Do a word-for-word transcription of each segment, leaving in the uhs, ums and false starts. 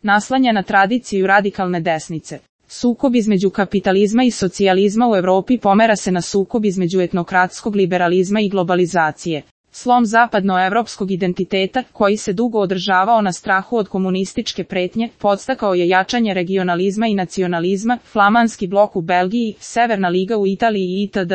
naslanja na tradiciju radikalne desnice. Sukob između kapitalizma i socijalizma u Evropi pomera se na sukob između etnokratskog liberalizma i globalizacije. Slom zapadnoevropskog identiteta, koji se dugo održavao na strahu od komunističke pretnje, podstakao je jačanje regionalizma i nacionalizma, flamanski blok u Belgiji, Severna liga u Italiji itd.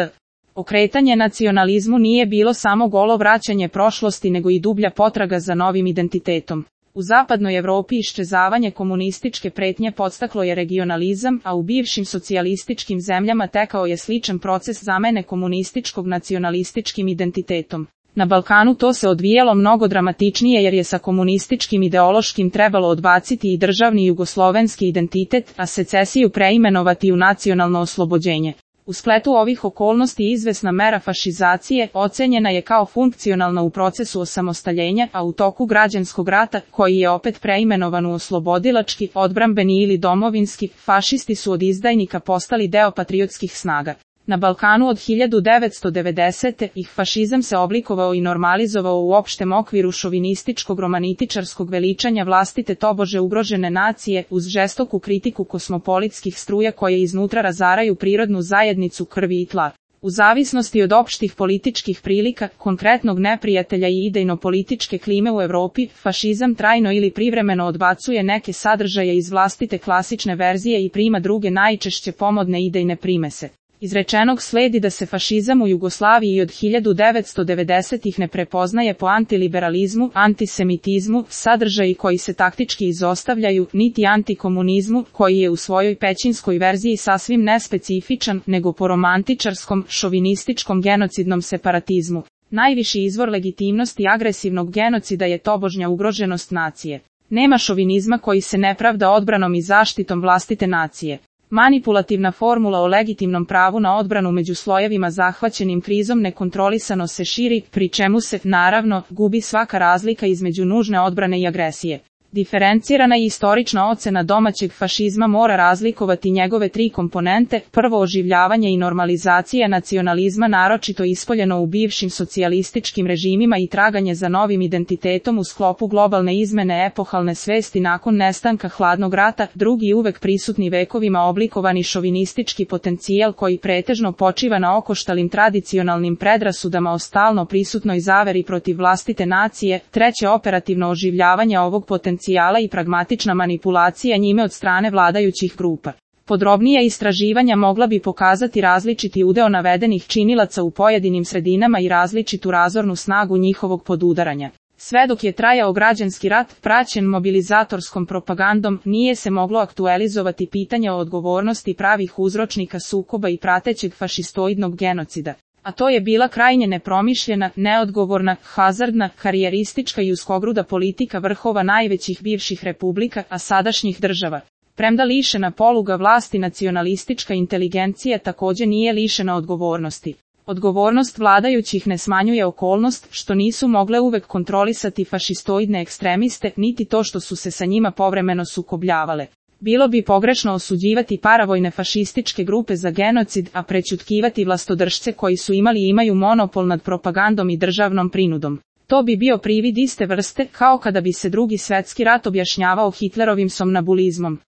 Okretanje nacionalizmu nije bilo samo golo vraćanje prošlosti nego i dublja potraga za novim identitetom. U zapadnoj Evropi iščezavanje komunističke pretnje podstaklo je regionalizam, a u bivšim socijalističkim zemljama tekao je sličan proces zamene komunističkog nacionalističkim identitetom. Na Balkanu to se odvijalo mnogo dramatičnije jer je sa komunističkim ideološkim trebalo odbaciti i državni jugoslovenski identitet, a secesiju preimenovati u nacionalno oslobođenje. U spletu ovih okolnosti izvesna mera fašizacije ocenjena je kao funkcionalna u procesu osamostaljenja, a u toku građanskog rata, koji je opet preimenovan u oslobodilački, odbrambeni ili domovinski, fašisti su od izdajnika postali deo patriotskih snaga. Na Balkanu od hiljadu devetsto devedesete. ih fašizam se oblikovao i normalizovao u opštem okviru šovinističkog romantičarskog veličanja vlastite tobože ugrožene nacije, uz žestoku kritiku kosmopolitskih struja koje iznutra razaraju prirodnu zajednicu krvi i tla. U zavisnosti od opštih političkih prilika, konkretnog neprijatelja i idejno-političke klime u Evropi, fašizam trajno ili privremeno odbacuje neke sadržaje iz vlastite klasične verzije i prima druge najčešće pomodne idejne primese. Izrečenog sledi da se fašizam u Jugoslaviji od hiljadu devetsto devedesetih ne prepoznaje po antiliberalizmu, antisemitizmu, sadržaji koji se taktički izostavljaju, niti antikomunizmu, koji je u svojoj pećinskoj verziji sasvim nespecifičan, nego po romantičarskom, šovinističkom genocidnom separatizmu. Najviši izvor legitimnosti agresivnog genocida je tobožnja ugroženost nacije. Nema šovinizma koji se ne pravda odbranom i zaštitom vlastite nacije. Manipulativna formula o legitimnom pravu na odbranu među slojevima zahvaćenim krizom nekontrolisano se širi, pri čemu se, naravno, gubi svaka razlika između nužne odbrane i agresije. Diferencirana i istorična ocena domaćeg fašizma mora razlikovati njegove tri komponente: prvo, oživljavanje i normalizacija nacionalizma naročito ispoljeno u bivšim socijalističkim režimima i traganje za novim identitetom u sklopu globalne izmene epohalne svesti nakon nestanka hladnog rata; drugi, uvek prisutni vekovima oblikovani šovinistički potencijal koji pretežno počiva na okoštalim tradicionalnim predrasudama o stalno prisutnoj zaveri protiv vlastite nacije; treće, operativno oživljavanje ovog potencijala i pragmatična manipulacija njime od strane vladajućih grupa. Podrobnija istraživanja mogla bi pokazati različiti udeo navedenih činilaca u pojedinim sredinama i različitu razornu snagu njihovog podudaranja. Sve dok je trajao građanski rat, praćen mobilizatorskom propagandom, nije se moglo aktualizovati pitanje o odgovornosti pravih uzročnika sukoba i pratećeg fašistoidnog genocida. A to je bila krajnje nepromišljena, neodgovorna, hazardna, karijeristička i uskogruda politika vrhova najvećih bivših republika, a sadašnjih država. Premda lišena poluga vlasti, nacionalistička inteligencija također nije lišena odgovornosti. Odgovornost vladajućih ne smanjuje okolnost što nisu mogle uvek kontrolisati fašistoidne ekstremiste, niti to što su se sa njima povremeno sukobljavale. Bilo bi pogrešno osuđivati paravojne fašističke grupe za genocid, a prećutkivati vlastodržce koji su imali i imaju monopol nad propagandom i državnom prinudom. To bi bio privid iste vrste, kao kada bi se drugi svjetski rat objašnjavao Hitlerovim somnambulizmom.